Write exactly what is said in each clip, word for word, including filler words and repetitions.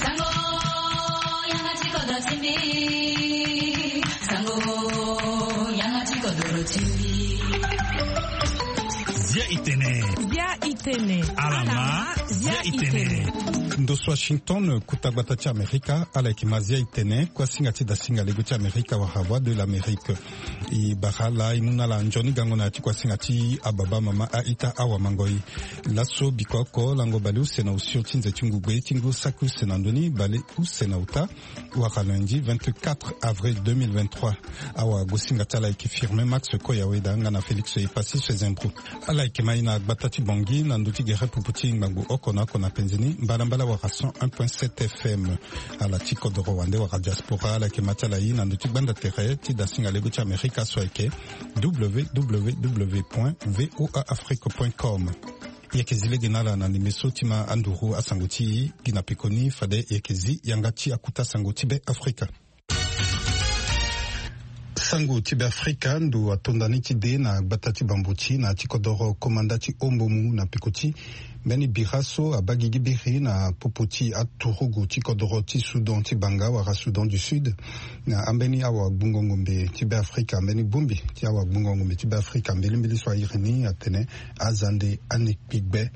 Sango, yanga ti kodro ti mbi. Sango, yanga ti kodro ti mbi. Zia itene. Zia itene. Alama, zia itene. Ndo so Washington, kuta gbata ti Amerika, ala yeke ma zia itene, kuasinga ti dasinga lego ti Amerika wala Voix de l'Amérique. E bara ala, e mu na ala nzoni gango na ya ti kuasinga ti ababa, mama, a-ita, awamangoi. Laso biko oko lango bale use na osio ti nze ti ngugbe ti ngu saki use na ndö ni, bale use na ota, wara lundi vingt-quatre avril deux mille vingt-trois. Awagosinga ti ala ayeke Firmin Max Koyaweda nga na Félix Epassi Sezembro. Ala yeke ma e na gbata ti Bangui na ndö ti gere pupu ti ngbangbo oko na oko na penzi ni, mbalambala wara cent un point sept F M. Ala ti kodoro wande wara diaspora, ala yeke ma ti ala e na ndö ti gbanda tere ti dasinga lego ti Amerika so ayeke W W W point V O A Afrique point com. E yeke zi lege na ala na ndembe so ti ma anduru asango ti e gi na pekoni, fade e yeke zi yanga ti akuta sango ti Be Afrika. Sango ti Be Afrika, ndo atonda ni ti de na gbata ti Bamboti na ya ti kodoro komanda ti Ombomu na peko ti mbeni bira so abaa gigi biri na popo ti aturugu ti kodoro ti Soudan ti banga wala Soudan du Sud, na ambeni awagbungo ngombe ti Be Afrika, mbeni bongbi ti awagbungo ngombe ti Be Afrika mbilimbili so a iri ni atene Azande Anekpigbe.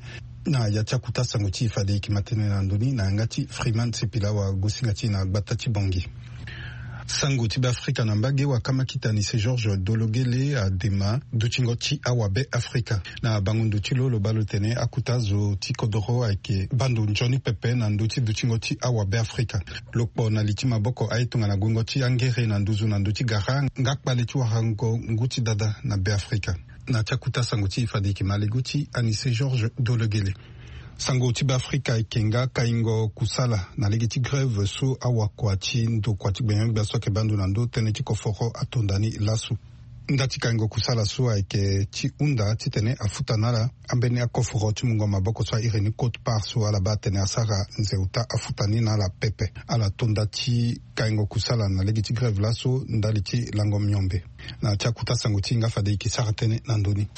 Na ya ti akuta sango ti e fade e yeke ma tënë na ndö ni na yanga ti Freeman Sipila, awagosinga ti e na gbata ti Bangui. Sango ti Be Afrika na mbage, wakama kita Anise Georges Dologele adema dutingo ti awabe Afrika. Na bango ndo ti lo, lo baa lo tene akuta zo ti kodoro ayeke baa ndo nzoni pepe na ndö ti dutingo ti awabe Afrika. Lo kpo na li ti maboko aye tongana guengo ti angere na nduzu na ndö ti gara nga kpale ti warango ngu ti dada na Be Afrika. Na ti akuta sango ti e fade e yeke ma lego ti Anise Georges Dologele. Sango ti Be Afrika ayeke nga kaingo kusala na lege ti grève so awakua ti ndokua ti gbenyogbia so ayeke baa ndo na ndö tënë ti koforo atonda ni laso. Nda ti kaingo kusala so ayeke ti hunda titene afuta na ala ambeni akoforo ti mungo maboko so a iri ni quote-part so ala baa atene asara nze ota afuta ni na ala pepe. Ala tonda ti kaingo kusala na lege ti grève laso ndali ti lango miombe. Na ti akuta sango ti e nga fade e yeke sara tënë na ndö ni.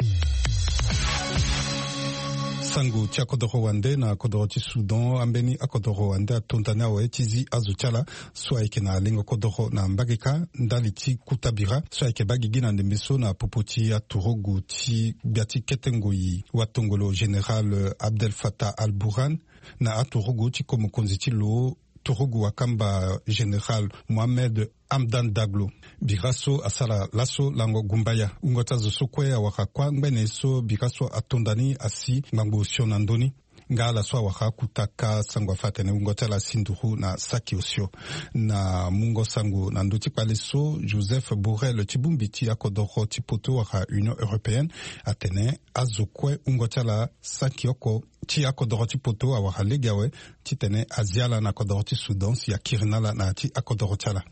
Sango ti akodoro wande na kodoro ti Soudan, ambeni akodoro wande atonda ni awe ti zi azo ti ala so ayeke na lengo kodoro na mbage kâ ndali ti kuta bira so ayeke baa gigi na ndembe so na popo ti aturugu ti gbia ti kete ngoi watongolo général Abdel Fattah al-Burhan, na aturugu ti ko mokonzi ti lo, turugu wakamba général Mohamed Hamdan Daglo. Bira so asara laso lango gumbaya. Wungo ti azo so kue awara kuâ ngbene so bira so atonda ni asi ngbangbo osio na ndö ni. Nga ala so awara akuta kâ sango afa atene wungo ti ala asi nduru na saki osio. Na mungo sango na ndö ti kpale so, Joseph Borrell ti bongbi ti akodoro ti poto wala Union européenne atene azo kue wungo ti ala saki oko ti akodoro ti poto awara lege awe titene azi ala na kodoro ti Soudan si akiri na ala na ya ti akodoro ti ala.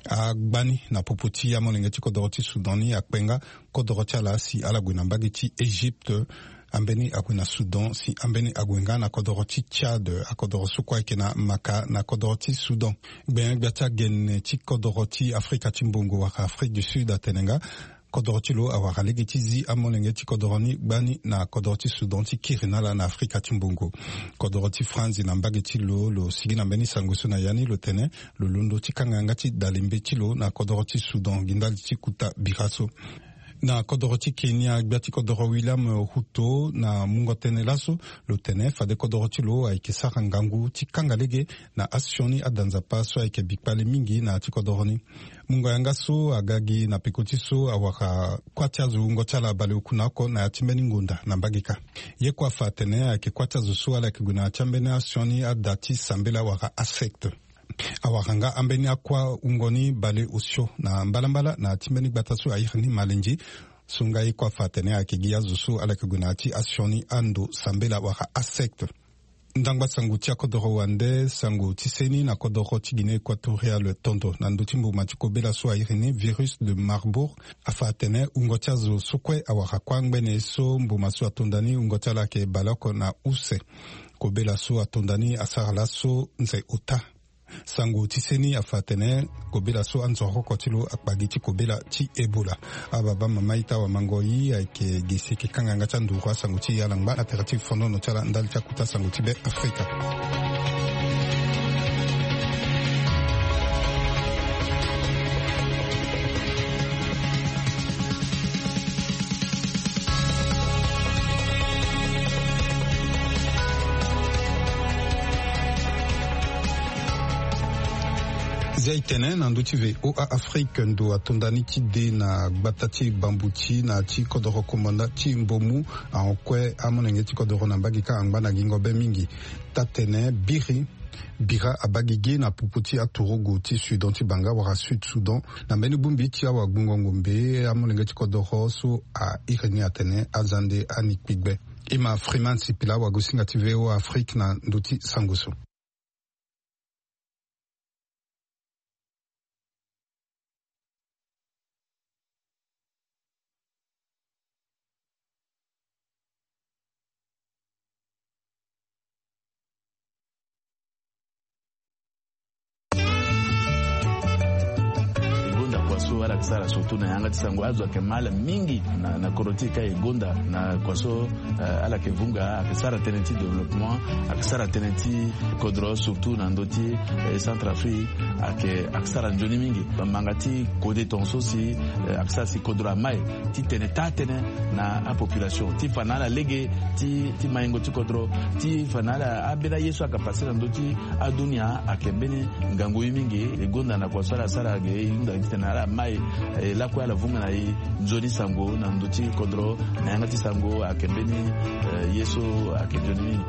Agbani na popo ti amolenge ti kodoro ti Soudan ni akpe nga kodoro ti ala si ala gue na mbage ti Égypte, ambeni ague na Soudan, si ambeni ague nga na kodoro ti Tchad, akodoro so kue ayeke na maka na kodoro ti Soudan. Gbenyogbia ti agene ti kodoro ti Afrika ti mbongo wala Afrique du Sud atene nga kodoro ti lo awara lege ti zi amolenge ti kodoro ni gbani na kodoro ti Soudan ti kiri na ala na Afrika ti mbongo. Kodoro ti Franzi na mbage ti lo, lo sigi na mbeni sango so na ya ni, lo tene lo londo ti kanga yanga ti dalembe ti lo na kodoro ti Soudan gi ndali ti kuta bira so. Na kodoro ti Kenya, gbia ti kodoro William Ruto na mungo tënë laso, lo tene fade kodoro ti lo ayeke sara ngangu ti kanga lege na asioni ada Nzapa so ayeke bi kpale mingi na ya ti kodoro ni. Mungo yanga so aga gi na peko ti so awara kuâ ti azo wungo ti ala baleoku na oko na ya ti mbeni ngonda na mbage kâ. Ye kue afa atene ayeke kuâ ti azo so ala yeke gue na ya ti ambeni asioni ada ti sambela wala asecte. Awara nga ambeni akuâ wungo ni baleosio na mbalambala na ya ti mbeni gbata so a iri ni Malendji. So nga ye kue afa atene ayeke gi azo so ala yeke gue na ya ti asioni ando sambela wala asecte. Ndangba sango ti akodoro wande, sango ti seni na kodoro ti Guinée équatoriale tondo na ndö ti mbuma ti kobela so a iri ni virus de Marburg. Afa atene wungo ti azo so kue awara kuâ ngbene so mbuma so atonda ni wungo ti ala ayeke baleoko na use. Kobela so atonda ni asara laso nze ota. Sango ti seni afa atene kobela so anzoroko ti lo akpa gi ti kobela ti Ebola. Ababa mama ita wamango i ayeke ge si eke kanga yanga ti anduru asango ti e ala ngba na tere ti fonono ti ala ndali ti akuta sango ti be Afrika. Zia e tene na ndö ti V O A Afrique, ndo atonda ni ti de na gbata ti Bambuti na ti kodoro komanda ti Mbomu ahon kue amolenge ti kodoro na mbage kâ angba na gingo be mingi. Taa-tene biri bira abaa gigi na popo ti aturugu ti Sudan ti banga wala Sud Sudan na mbeni bongbi ti awagbungo ngombe. Amolenge ti kodoro so a iri ni atene aza nde ani kpigbe. E ma Freeman Sipila, wagosinga ti V O A Afrique na ndö ti sango so. E gonda kua so ala yeke sara surtout na yanga ti sango, azo ayeke ma ala mingi na, na kodro ti e ka e gonda na kua so, eh, ala yeke vunga, ayeke sara tënë ti développement, ayeke sara tënë ti kodro surtout na ndö ti, eh, Centrafrique, ayeke, ayeke sara nzoni mingi. Manga ti kode tongaso si, eh, ayeke sara si kodro amai ti tene taa-tënë na apopulation ti fa na ala lege ti, ti maingo ti kodro, ti fa na ala ambeni aye so ayeke pase na ndö ti adunia ayeke mbeni ngangu ye mingi. E gonda na kua so ala sara ge e hunda gi titene ala mai, eh, lakue ala vunga na e nzoni sango na ndö ti kodro na yanga ti sango ayeke mbeni, eh, ye so ayeke nzoni mingi.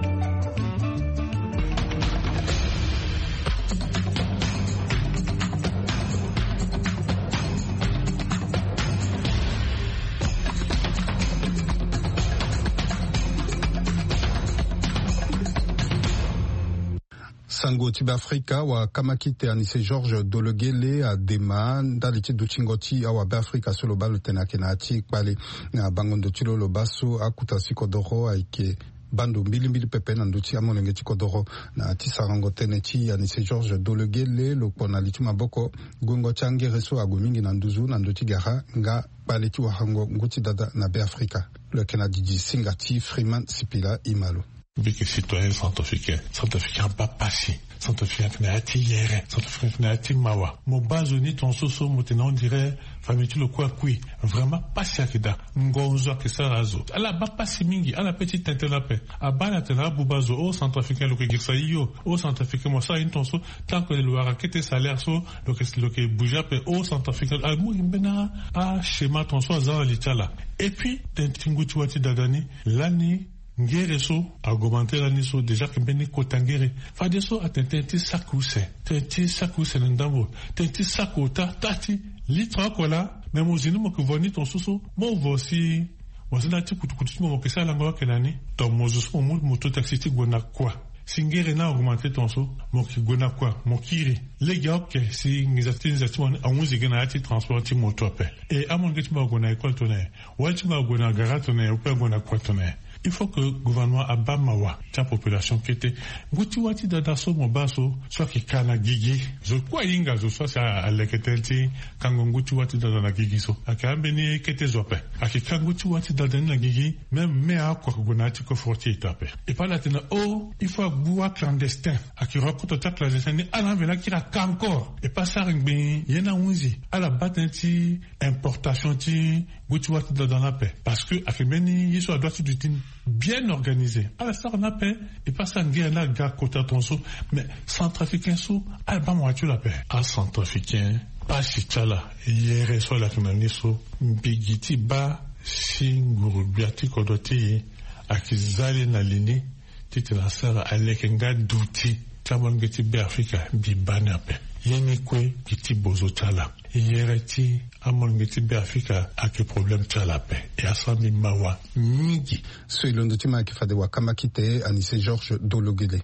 Sango ti Beafrika, wakamakite Anise Georges Dologele adema ndali ti dutingo ti awabeafrika so lo baa lo tene ayeke na ya ti kpale. Na bango ndo ti lo, lo baa so akuta ti kodoro ayeke baa ndo mbilimbili pepe na ndö ti amolenge ti kodoro. Na ya ti sarango tënë ti Anise Georges Dologele, lo kpo na li ti maboko guengo ti angere so ague mingi na nduzu na ndö ti gara nga kpale ti warango ngu ti dada na Beafrika. Lo yeke na didi singa ti Freeman Sipila, e ma lo. Mbi yeke citoyen centrafricain. Centrafricain abaa pasi. Centrafricain ayeke na ya ti yere. Centrafricain ayeke na ya ti mawa. Mo baa zo ni tongaso so mo tene on dirait famille ti lo kue akui. Vraiment pasi ayeke daa. Ngonzo ayeke sara azo. Ala baa pasi mingi. Ala pe ti tene tënë ape. Abaa ala tene abuba zo. O centrafricain, lo yeke girisa hio. O centrafricain, mo sara ye ni tongaso. Tant que lo wara kete salaire so, lo yeke, lo yeke bouger ape. O centrafricain amu gi mbeni a, a schéma tongaso aza na li ti ala. Et puis tene ti ngu ti wâ ti dada ni lani ngere so augmenter lani so déjà ayeke mbeni kota ngere. Fadeso atene tënë ti saki use, tënë ti saki use na ndambo, tënë ti saki ota, taa ti litre oko laa. Mais mo zi ni mo yeke vo ni tongaso so, mo vo si mo zi na ya ti kutukutu ti mo, mo yeke sara lango ayeke na ni. Donc mo zo so mo mu moto taxi ti gue na kua. Si ngere ni a augmenter tongaso, mo yeke gue na kua, mo kiri. Lege aoke si nginza ti nginza ti mo ni ahunzi gi na ya ti transport ti moto ape. E amolenge ti mo ague na école tongana nyen? Wali ti mo ague na gara tongana nyen? Ou peut ague na kua tongana nyen? Il faut que gouvernement abaa mawa ti apopulation kete. Ngu ti wâ ti dada so mo baa so, so ayeke ka na gigi. Zo kue ahinga zo so asi a, aleke tënë ti kango ngu ti wâ ti dada na gigi so. Ayeke ambeni kete zo ape. Ayeke ka ngu ti wâ ti dada ni na gigi. Même me oko ayeke gue na ya ti coffre ti e taa ape. E pa ala tene o, il faut agbu aclandestin. Ayeke hon akota ti aclandestin ni, ala mveni akiri aka encore. E pa asara ngbii ye ni ahunzi. Ala baa tënë ti importation ti ngu ti wâ ti dada ni ape. Parce que ayeke mbeni ye so adoit ti duti ni bien organisé. Ala sara ni ape. E pa asara ngere ni aga kota tongaso. Mais centrafricain so ala baa mawa ti lo ape. Acentrafricain, pasi ti ala, yere so ala yeke na ni so, mbi gi ti baa si nguru-gbia ti kodro ti e ayeke za le na li ni titene asara aleke nga duti ti amolenge ti Beafrika. Mbi baa ni ape. Ye ni kue gi ti bozo ti ala. Yere ti amolenge ti Beafrika ayeke problème ti ala ape. E asara mbi mawa mingi. So e londo ti ma ayeke fade wakamakite Anise Georges Dologele.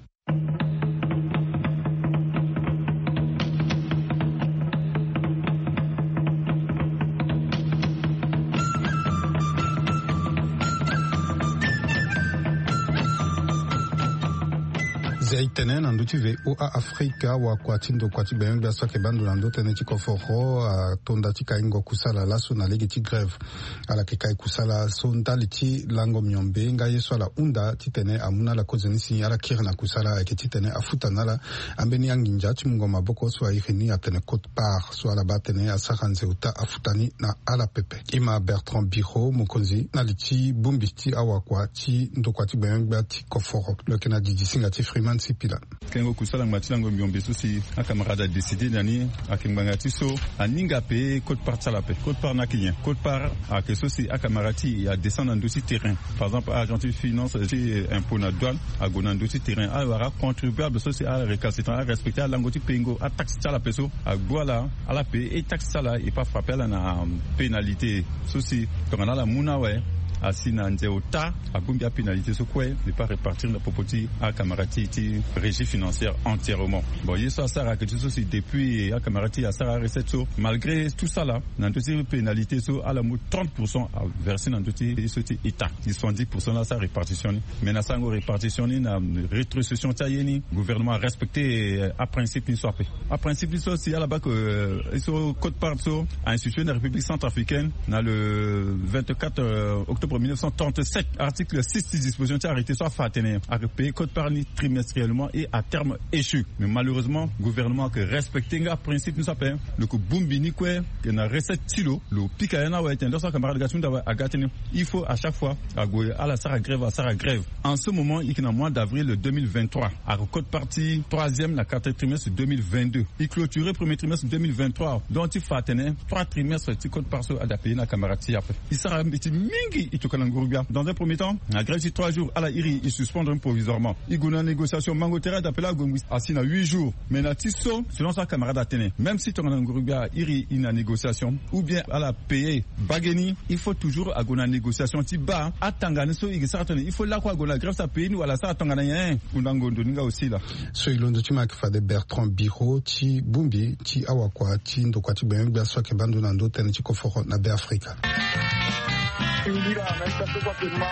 Zia e tene na ndö ti VOA Afrika, wakua ti ndokua ti gbenyogbia so ayeke baa ndo na ndö tënë ti koforo atonda ti kaingo kusala laso na lege ti grève. Ala yeke kai kusala so ndali ti lango miombe nga ye so ala hunda titene amu na ala kozoni si ala kiri na kusala ayeke titene afuta na ala ambeni anginza ti mungo maboko so airi ni atene quote-part so ala baa tene asara nze ota afuta ni na ala pepe. Ima Bertrand Biro, mokonzi na li ti bongbi ti awakua ti ndokua ti gbenyogbia ti koforo, lo yeke na didi singa ti Freeman Sipila. Kengo kusala ngba ti lango miombe so si acamarade adécide na ni ayeke ngbanga ti so aninga pe quote-part ti ala pe. Quote-part ni ayeke nyen? Quote-part ayeke so si acamarade ti e adescend na ndö ti terrain. Par exemple, agent ti finance ti impôt na douane ague na ndö ti terrain, awara acontribuable so si arécalcitrant, arespecte alango ti pengo ataxe ti ala pe so agbu ala. Ala pe e taxe ti ala e pas frappe ala na pénalité so si tongana ala mu na awe asi na nze ota, abongbi apénalité so kue e pas répartir na popo ti acamarade ti e ti régie financière entièrement. Bon, ye so asara ayeke ti so si depuis acamarade ti e asara arecette so, malgré tout ça là, na ndö ti pénalité so ala mu trente pour cent averse na ndö ti ye so ti état. Soixante-dix pour cent la asara répartition ni. Mais na sarango répartition ni na rétrocession ti aye ni, gouvernement arespecte aprincipe ni so ape. Aprincipe ni so si ala baa ke ye so quote-part so a institué na République centrafricaine na le vingt-quatre octobre mille neuf cent trente-sept, article six ti disposition ti arrêté so afa atene ayeke paye quote-part ni trimestriellement et à terme échu. Mais malheureusement gouvernement ayeke respecte nga principe ni so ape. Lo yeke bongbi ni kue ke na recette ti lo, lo pika ya ni awe tene lo so acamarade ga ti hunda awe aga tënë. Il faut à chaque fois ague ala sara grève, asara grève. En ce moment e yeke na mois d'avril deux mille vingt-trois, ayeke quote-part ti troisième na quatrième trimestre deux mille vingt-deux. E clôturé premier trimestre deux mille vingt-trois, donc ti fa atene trois trimestres ti quote-part so ada paye na acamarade ti e ape. E sara mbeti mingi e tokua na nguru-gbia. Dans un premier temps na grève ti trois jours ala iri e suspendre provisoirement. E gue na négociation, mango tere ada pe laa ague ngui asi na huit jours. Mais na ti so selon so acamarade atene, même si tongana nguru-gbia airi e na négociation ou bien ala paye bage ni, il faut toujours ague na négociation ti baa atanga ni so e ke sara tongana il faut lakue ague na grève so apaye ni wala asara tongana nyen. Kundango ndo ni nga aussi laa. So e londo ti ma ayeke fade Bertrand Biro ti bongbi ti awakua ti ndokua ti gbenyogbia so ayeke baa ndo na ndö tënë ti koforo na Be Afrika. Singila na ita so kue ayeke ma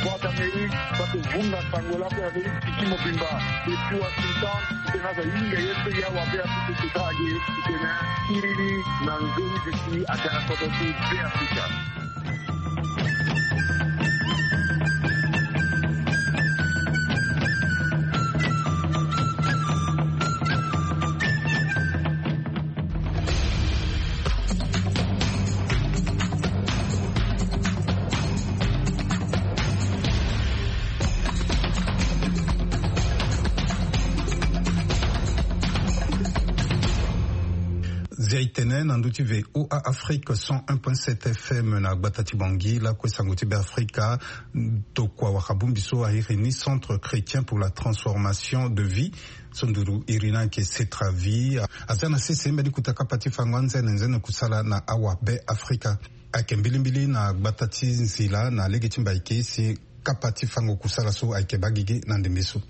Voix d'Amérique so ayeke vunga sango lakue na be ti tiki mobimba. Depuis Washington, tena aza hinga ye so ya wa Be Afrika ti tara ge. Tena iri ni na nzoni ti si atara kodro ti Be Afrika. Zia e tene na ndö ti VOA Afrique cent un point sept F M na gbata ti Bangui lakue sango ti Be Afrika. Tokua waka bongbi so airi ni Centre Chrétien pour la Transformation de Vie, so nduru iri ni ayeke Cetravi, aza na sese mbeni kota kapa ti fango anzene nzene kusala na awa Be Afrika. Ayeke mbilimbili na gbata ti Nzila na lege ti Mbaike si kapa ti fango kusala so ayeke baa gigi na ndembe so.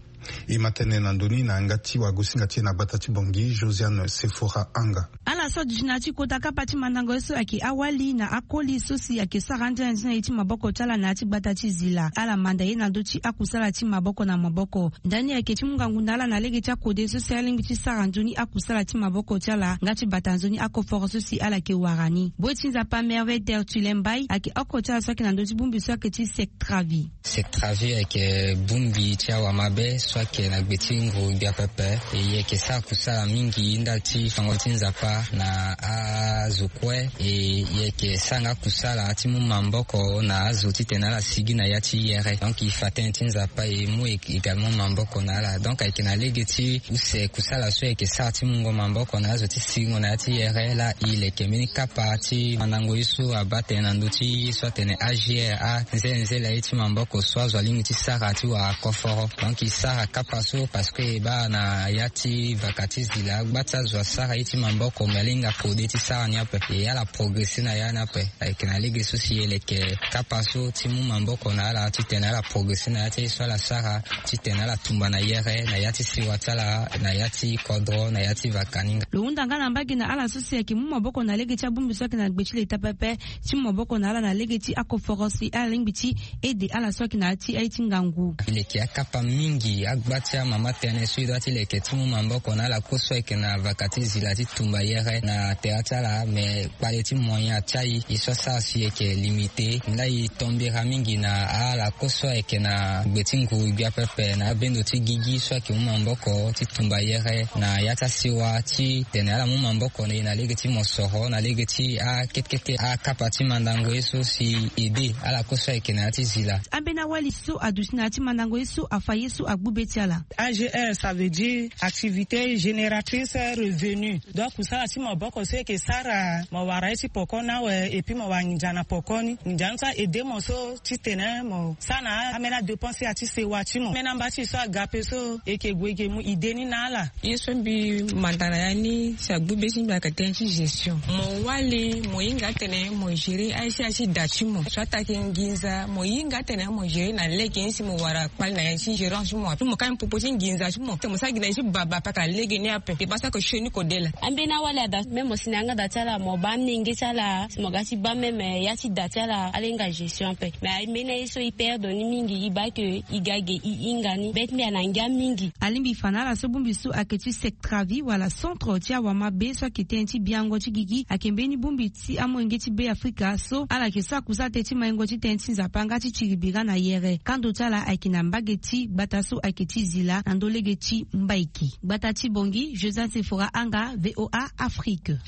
E ma tënë na ndö ni na yanga ti wagosinga ti e na gbata ti Bangui, Josiane Sephora Anga. Ala so aduti na ya ti kota kapa ti mandango ye so ayeke awali na akoli so si ayeke sara anzene nzene ye ti maboko ti ala na ya ti gbata ti Nzila, ala manda ye na ndö ti akusala ti maboko na maboko. Ndani ayeke ti mu ngangu na ala na lege ti akode so si alingbi ti sara nzoni akusala ti maboko ti ala nga ti bata nzoni akoforo so si ala yeke wara ni. Bue ti Nzapa Merveille Tertullin Mbaye ayeke oko ti ala so ayeke na ndö ti bongbi so ayeke ti Cetravi. Cetravi ayeke bongbi ti awamabe so ayeke na gbe ti nguru-gbia pepe. E, e yeke sara kusala mingi ndali ti fango ti Nzapa na azo kue. E, e yeke sara nga kusala ti mu maboko na azo titene ala sigi na ya ti yere. Donc e fa tënë ti Nzapa e mu e également maboko na ala. Donc ayeke na lege ti use kusala so e yeke sara ti mungo maboko na azo ti siringo na ya ti yere laa e leke mbeni kapa ti mandango ye so abaa tënë na ndö ti ye so atene A G R, anzelenzele ye ti maboko so azo alingbi ti sara ti wara koforo. Donc e sara kapa so parce que e baa na ya ti vaka ti Nzila gba ti azo asara ye ti maboko me Alinga kode ti sara ni ape. E ala progresser na ya ni ape. Ayeke na lege so si e leke kapa so ti mu maboko na ala titene ala progresser na ya ti aye so ala sara, titene ala tumba na yere na ya ti siwa ti ala, na ya ti kodro, na ya ti vakaninga. Lo hunda nga na mbage na ala so si ayeke mu maboko na lege ti abongbi so ayeke na gbe ti leta pepe, ti mu maboko na ala na lege ti akoforo si ala lingbi ti ede ala so ayeke na ya ti aye ti ngangu. E leke akapa mingi agba ti amama tënë so e doit ti leke ti mu maboko na ala kue so ayeke na vaka ti zila ti tumba yere na tere ti ala, me kpale ti moyen ti aye e so asara si e yeke limité. Nda e tombera mingi na ala kue so ayeke na gbe ti nguru gbia pepe na abendo ti gigi so ayeke mu maboko ti tumba yere na ya ti asiwa titene ala mu maboko na e na lege ti mosoro, na lege ti akete kete akapa ti mandango ye so si ede ala kue so ayeke na ya ti zila. Ambeni awali so aduti na ya ti mandango ye so afa ye so agbu be ti ala. A G R, ça veut dire activité génératrice revenu. Donc kusala ti maboko so e yeke sara, mo wara ye ti poko ni awe, et puis mo wara nginza na poko ni. Nginza ni so a ede mo so titene mo sara na ambeni adépense ya ti sewa ti mo. Ambeni amba ti e so aga ape so e yeke gue e yeke mu idée ni na ala. Ye so mbi manda na ya ni si agbu be ti mbi ayeke tënë ti gestion. Mo wali mo hinga atene mo gérer aye ti aye ti da ti mo. So atake nginza mo hinga atene mo gérer na lege ni si mo wara kpali na ya ti gérance ti mo. Ape mo ka popo ti nginza ti mo. Te mo sara gi na ye ti baba ape aka lege ni ape. E baa so ayeke sioni kode laa. Ambeni awali ada même mo si na yanga da ti ala mo baa amenge ti ala si mo ga ti baa même ya ti da ti ala ala hinga gestion ape. Mais ambeni aye so e perdre ni mingi e baa ke e ga ge e hinga ni be ti mbi ana ngia mingi. Alingbi fa na ala so bongbi so ayeke ti Sectravi wala centre ti awamabe so ayeke tënë ti biango ti gigi ayeke mbeni bongbi ti amolenge ti Be Afrika so ala yeke sara kusala tënë ti maingo ti tënë ti Nzapa nga ti tiri bira na yere. Kando ti ala ayeke na mbage ti gbata so ayeke ti Zila na ndö lege ti Mbaiki. Gbata ti Bangui, Josiane Sephora Anga, V O A Afrique.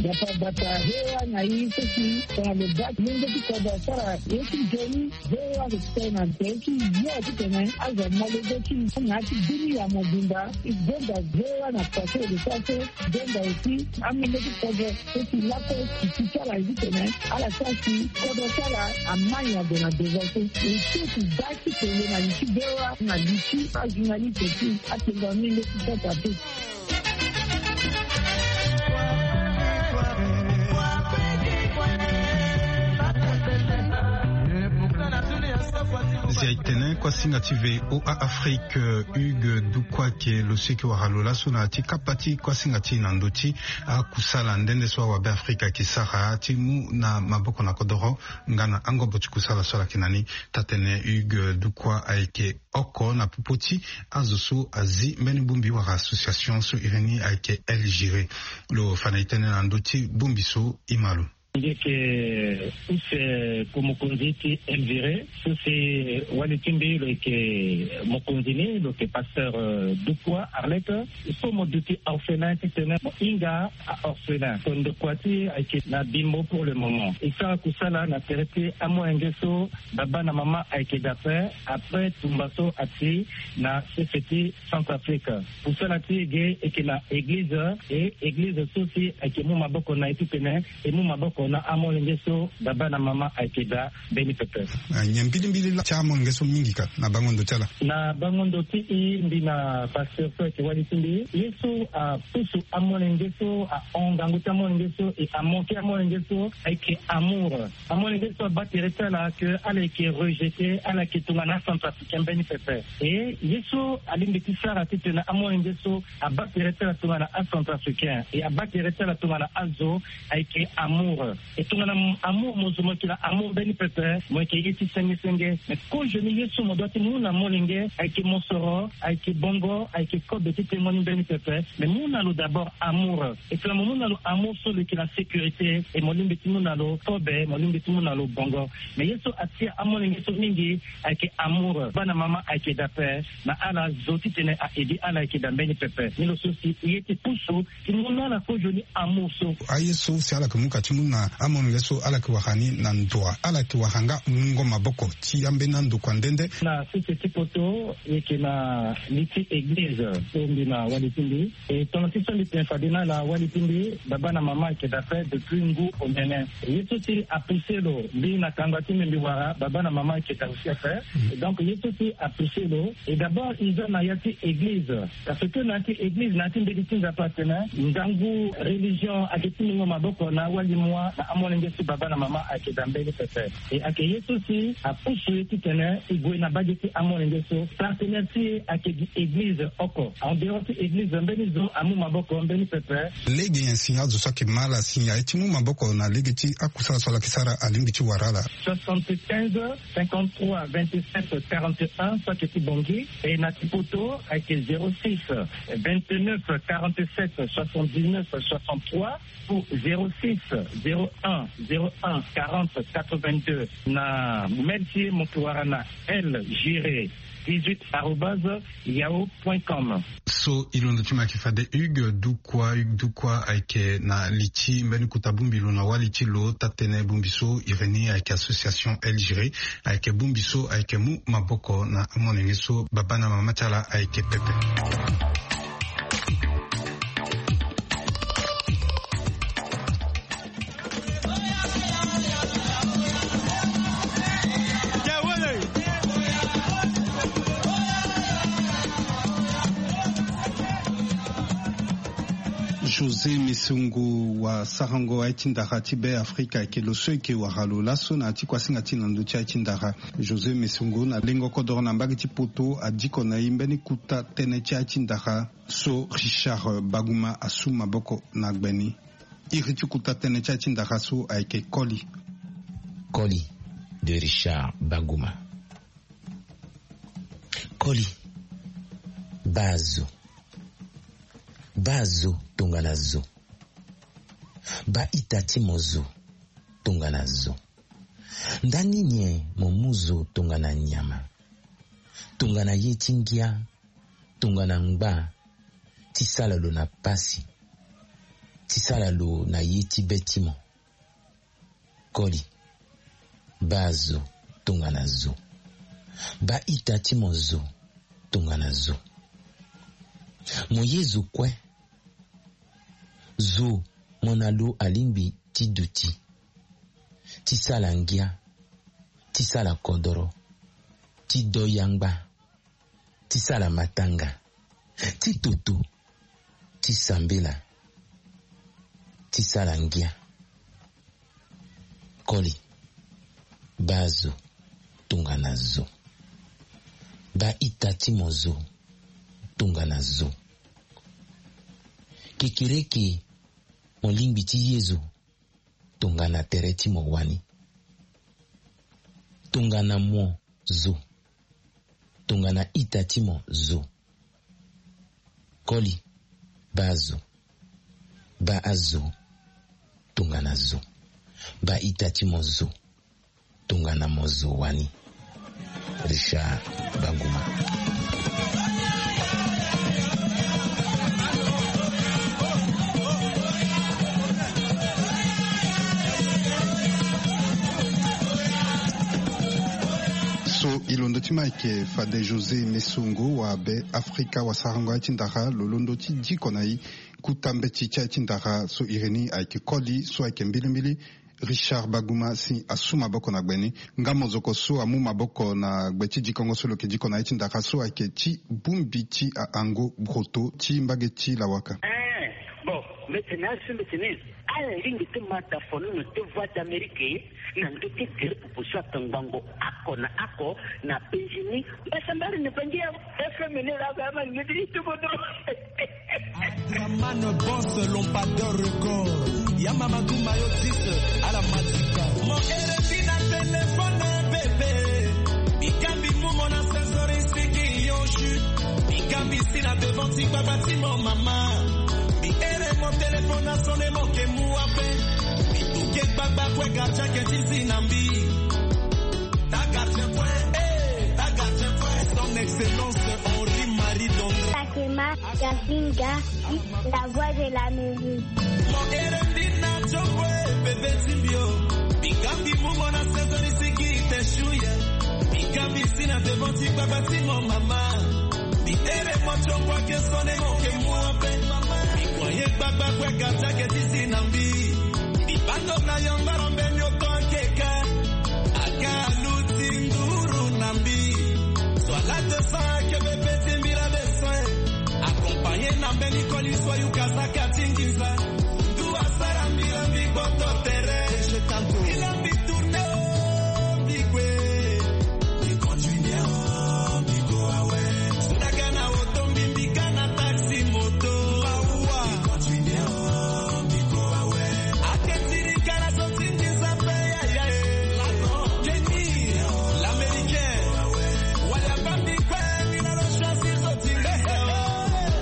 Gbata gbata V O A na e so si tongana lo baa ti lenge ti kodro asara ye ti nzoni. V O A lo tene na tere ti yo titene azo amolenge ti e na ya ti bini ya mobimba. E gonda V O A na tere ti lo so aso. Gonda aussi amolenge ti kodro so si lakue si ti ti ala ye titene ala sara si kodro ti ala amai ague na devant so. E so si baa ti kenge na li ti V O A na li ti ajournaliste ti atengo amolenge ti kota te. Zia e tene kuasinga ti V O A Afrique, Hugues Dukwa ayeke lo so e yeke wara lo laso na ya ti kapa ti kuasinga ti e na ndö ti akusala nde nde so awabe Afrika ayeke sara ti mu na maboko na kodoro nga na angobo ti kusala so ala yeke na ni. Taa-tene Hugues Dukwa ayeke oko na popo ti azo so azi mbeni bongbi wala association so iri ni ayeke El Giré. Lo fa na e tënë na ndö ti bongbi so e ma lo. Nge yeke use ko mokonzi ti El Giré so si wali ti mbi lo yeke mokonzi ni lo yeke pasteur, euh, Dukwa Arlette. So mo duti orphelin titene mo hinga a-orphelin. So ndokua ti e ayeke na Bimbo pour le moment. E sara kusala na tere ti amolenge so baba na mama ayeke daa ape, après tumba so ati na sese ti Centrafrique. Kusala ti e ge e yeke na eglize, e eglize so si ayeke mu maboko na e titene e mu maboko na amolenge so baba na mama ayeke daa mbeni pepe. Ah, nyen mbilimbili laa ti amolenge so mingi ka na bango ndo ti ala? Na bango ndo ti e, mbi na pasteur so ayeke wali ti mbi, ye so apusu amolenge so, ahon ngangu ti amolenge so, e amoke amolenge so, ayeke amour. Amolenge so abaa tere ti ala ke ala yeke rejeté, ala yeke tongana acentrafricain mbeni pepe. E ye so alingbi ti sara titene amolenge so abaa tere ti ala tongana acentrafricain, e abaa tere ti ala tongana azo, ayeke amour. E tongana amour mo zo mo yeke na amour mbeni pepe, mo yeke ye ti senge senge. Mais kozoni ye so mo doit ti mu na molenge ayeke mosoro, ayeke bongo, ayeke kobe ti tengo ni mbeni pepe. Mais mu na lo d'abord amour. E tongana mo mu na lo amour so lo yeke na sécurité, e mo lingbi ti mu na lo kobe, mo lingbi ti mu na lo bongo. Mais ye so atia amolenge so mingi ayeke amour. Bana mama ayeke daa ape, na ala zo titene a aider ala ayeke daa mbeni pepe. Ni lo so si e ye ti pusu ti mu na ala kozoni amour so. Aye so si ala yeke mu ka ti mu na Amolenge so ala yeke wara ni na ndoa, ala yeke wara nga mungo maboko ti ambeni andokua nde nde. Na sese ti poto, e yeke na li ti eglize so mbi na wali ti mbi. E tongana ti so mbi tene fade na ala, wali ti mbi, baba na mama ayeke daa ape depuis ngu omene. Ye so si apousse lo mbi na kanga ti mbi mbi wara, baba na mama ayeke daa aussi ape. Donc ye so si apousse lo, e d'abord e za na ya ti eglize. Parce que na ya ti eglize, na ya ti mbeti ti Nzapa atene ngangu religion ayeke ti mungo maboko na awali mwa na amolenge so baba na mama ayeke daa mbeni pepe. E ayeke ye so si apousse ye titene e gue na mbage ti amolenge so. Partenaire ti e ayeke gi eglize oko. En dehors ti eglize, mbeni zo amu maboko mbeni pepe. Lege nyen si azo so ayeke ma ala si aye ti mu maboko na lege ti akusala so ala yeke sara alingbi ti wara ala? Soixante-quinze, cinquante-trois, vingt-sept, quarante et un, so ayeke ti Bangui. E na ti poto ayeke zéro six, vingt-neuf, quarante-sept, soixante-dix-neuf, soixante-trois, ou zéro six, zéro un, zéro un, quarante, quatre-vingt-deux. Na mail ti e mo yeke wara na L Giré dix-huit arobase yahoo point com. So e londo ti mo ayeke fade Hugues Dukwa. Hugues Dukwa ayeke na li ti mbeni kota bongbi lo na wali ti lo. Taa-tënë bongbi so iri ni ayeke association L Giré. Ayeke bongbi so ayeke mu maboko na amolenge so baba na mama ti ala ayeke pepe. José Mesongo, wasarango aye ti ndara ti Be Afrika, ayeke lo so e yeke wara lo laso na ya ti kuasinga ti na ndö ti aye ti ndara. José Mesongo, na lengo kodoro na mbage ti poto, adiko na e mbeni kota tënë ti aye ti ndara so Richard Baguma asu maboko na gbe ni. Iri ti kota tënë ti aye ti ndara so ayeke Koli. Koli de Richard Baguma. Koli, baa zo. Baa zo tongana zo. Baa ita ti mo zo tongana zo. Ndani nyen mo mu zo tongana nyama, tongana ye ti ngia, tongana ngba, ti sala lo na pasi, ti sala lo na ye ti be ti mo? Koli, baa zo tongana zo. Baa ita ti mo zo tongana zo. Mo ye zo kue. Zo mo na lo alingbi ti duti, ti sala ngia, ti sala kodoro, ti do yangba, ti sala matanga, ti toto, ti sambela, ti sala ngia. Koli, baa zo tongana zo. Baa ita ti mo zo tongana zo. Kekereke, mo lingbi ti ye zo tongana tere ti mo wani, tongana mo zo, tongana ita ti mo zo. Koli, baa zo. Baa azo tongana zo. Baa ita ti mo zo tongana mo zo wani. Richard Baguma. So e londo ti mo ayeke fade José Mesongo wa Be Afrika, wasarango aye ti ndara, lo londo ti diko na e kota mbeti ti aye ti ndara so iri ni ayeke Koli, so ayeke mbilimbili Richard Baguma si asu maboko na gbe ni. Nga mozoko so amu maboko na gbe ti dikongo so lo yeke diko na ye ti ndara so ayeke ti bongbi ti ahango broto ti mbage ti lawaka. Eh, bon, mbi tene azo, mbi tene ala lingbi ti ma tafono na te Voix d'Amérique na ndö ti gere pupu so atongbango oko na oko na Benjini. Mbasambari na Bangi ya F M ni la ba ma ni ti bodo. Draman boss Lombador record. Ya mama Guma yo dix à la matika. Mon R F I na téléphone bébé. Bikambi mumo na sensori siki yo chute. Bikambi si na devant ti baba ti mon mama. Bi ere mon téléphone a sonné, mon ke mu ape. Bi tuke gbagba kue gardien ke ti zi na mbi. Ta gardien kue, eh, ta gardien kue. Son excellence Henri Marie Dondre. Fatima Gazinga, la voix de la musique. Mon R F I na Tiombwe bebe ti mbi o. Mbi gambi mu mo na saison ni si gi te shuye. Mbi gambi si na devant ti gbagba ti mo mama. Mbi tere mo tiombwe ake sone mo ke mu ape. Mbi kua ye gbagba kue gardien ake ti zi na mbi. Mbi bando na yongoro mbeni oko ake ka. Aga aluti nduru na mbi. Soit la deux cents ake bebe ti mbi la deux cents. Accompagné na mbeni koli so ayuka saka ti nginza. Ndu asara mbi la mbi gboto tere. Mbi la mbi tourné o mbi kue. Mbi continue o mbi go awe. Sudaka na oto mbi mbi ka na taxi moto. Mawa. Mbi continue o mbi go awe. Ake ti ri kala so ti nginza pe yaya e. Kenny, l'américain. Wala bambi kue mbi na lo choisir so ti nginza o.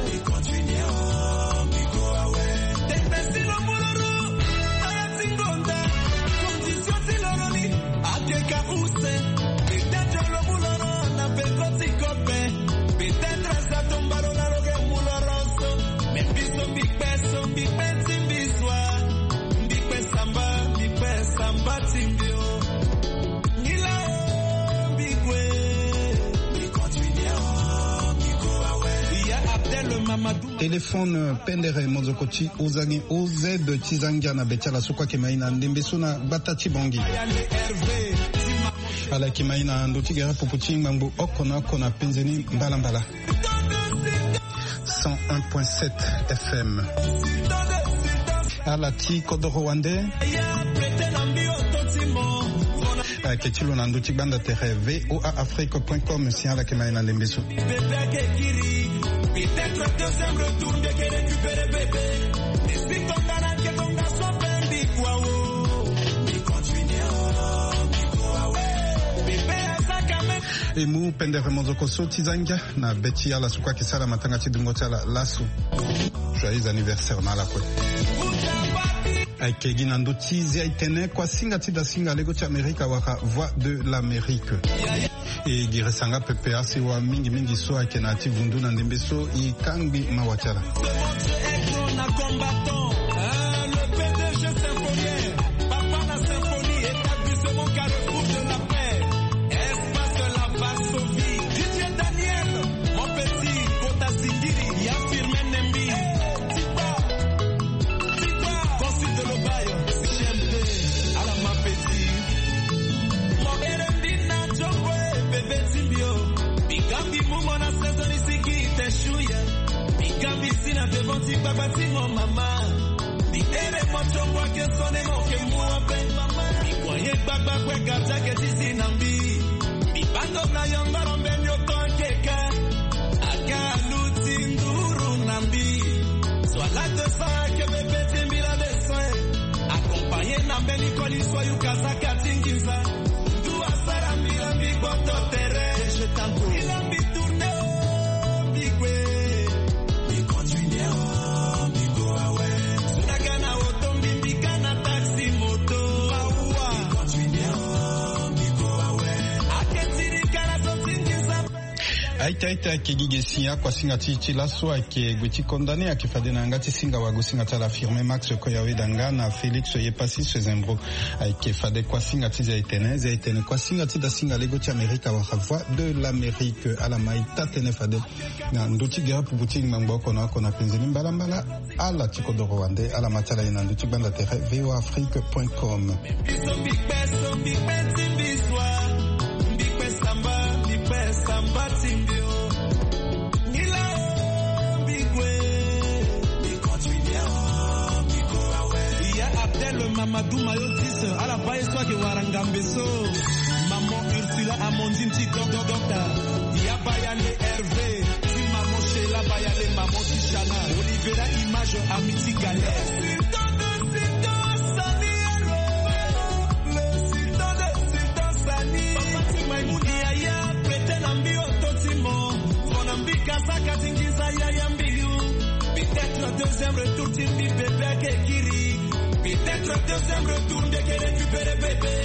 Mbi continue o mbi go awe. Tete si lo mu lo ro. Aya ti ngonda. Condition ti lo ro ni. Ake ka use. Peut-être lo mu lo ro na peko ti kope. Peut-être aza tomba lo na lo ke mu lo ro so. Mais mbi so mbi kpe so mbi kpe ti mbi so a. Mbi kpe samba, mbi kpe samba ti mbi o. Nila o, mbi kue. Mbi continue o, mbi go awe. Iya Abdel Mamadou. Téléphone, euh, pendere mozoko ti ozangi O Z ti zangia na be ti ala so kue ake mai na ndembe so na gbata ti Bangui. Ala eke mai na ndo ti gere pupu ti ngbangbo oko na oko na penze ni mbalambala. Cent un point sept F M. Ala ti kodoro wande. Ayeke ti lo na ndö ti gbanda tere V O A Afrique point com si ala yeke ma e na lembe so. E mu pendere mozoko so ti za ngia na be ti ala so kue ayeke sara matanga ti dungo ti ala laso. Joyeux anniversaire na ala kue. Ayeke gi na ndö ti zia itene kuasinga ti dasinga lego ti Amerika wala Voix de l'Amérique. E girisa nga pepe asiwa mingi mingi so ayeke na ya ti vundu na ndembe so e kangbi mawa ti ala. Papa na symphonie, établissement Carrefour de la paix, espace de la Varsovie, D J Daniel, mon petit, kota singiri, ya Firmin Nembi, Tipa, Tipa, consul de l'Obaye, C M T, ala ma petit. Mo ere mbi na jongo e bebe ti mbi o. Mbi ga mbi mu mo na saison ni sigi te shuye. Mbi ga mbi si na devant ti gbagba ti mo mama. Mbi tere mo tio ngua ke sone mo ke mua pe. Mbi kua ye gbagba kue gardien ke ti si na mbi. Mbi bando na yongoro mbeni oko ake ka. Aga aluti nduru na mbi. Soit la deux cents ake bebe ti mbi la deux cents. Accompagné na mbeni koli so ayuka saka ti nginza. Ndu asara mbi la mbi gboto tere. Mbi la mbi tourné o mbi kue. Mbi continue o mbi go awe. Sudaka na oto mbi mbi ka na taxi moto. Mawa. Mbi continue o mbi go awe. Ake ti ri kala so ti nginza. Aita aita ake gi ge si akuasinga ti ti laso ake gue ti condamné ake fade na yanga ti singa wago singa ti ala Firmin Max Koyawe Danga na Félix Yepassis Zembro. Ayeke fade kuasinga ti zia etene, zia etene kuasinga ti dasinga lego ti Amerika wala Voix de l'Amérique. Ala ma e taa tënë fade na ndö ti gere pupu ti ngbangbo oko na oko na penze ni mbalambala. Ala ti kodoro wande, ala ma ti ala ye na ndö ti gbanda tere V O A Afrique point com. Biso mbi kpe so mbi kpe ti mbi so a. Mbi kpe samba, mbi kpe samba ti mbi o. Nila o mbi gue. Mbi continue o mbi go awe. Iya Abdel Mamadou Mayotis, ala baa ye so ayeke wara ngambe so. Maman Ursula Amandine ti Dok Dok Dokta. Iya Bayale Hervé ti maman Sheila Bayale, maman ti Shana. Olivera Image, ami ti Galère. Sani alo. Le sultan, le sultan Sani. Papa ti Maimouna. Yaya, pete na mbi oto ti mo. Fo na mbi kasaka ti nginza yaya mbi yu. Peut-être deuxième retour ti mbi bebe ake kiri. Peut-être deuxième retour mbi ake récupérer bébé.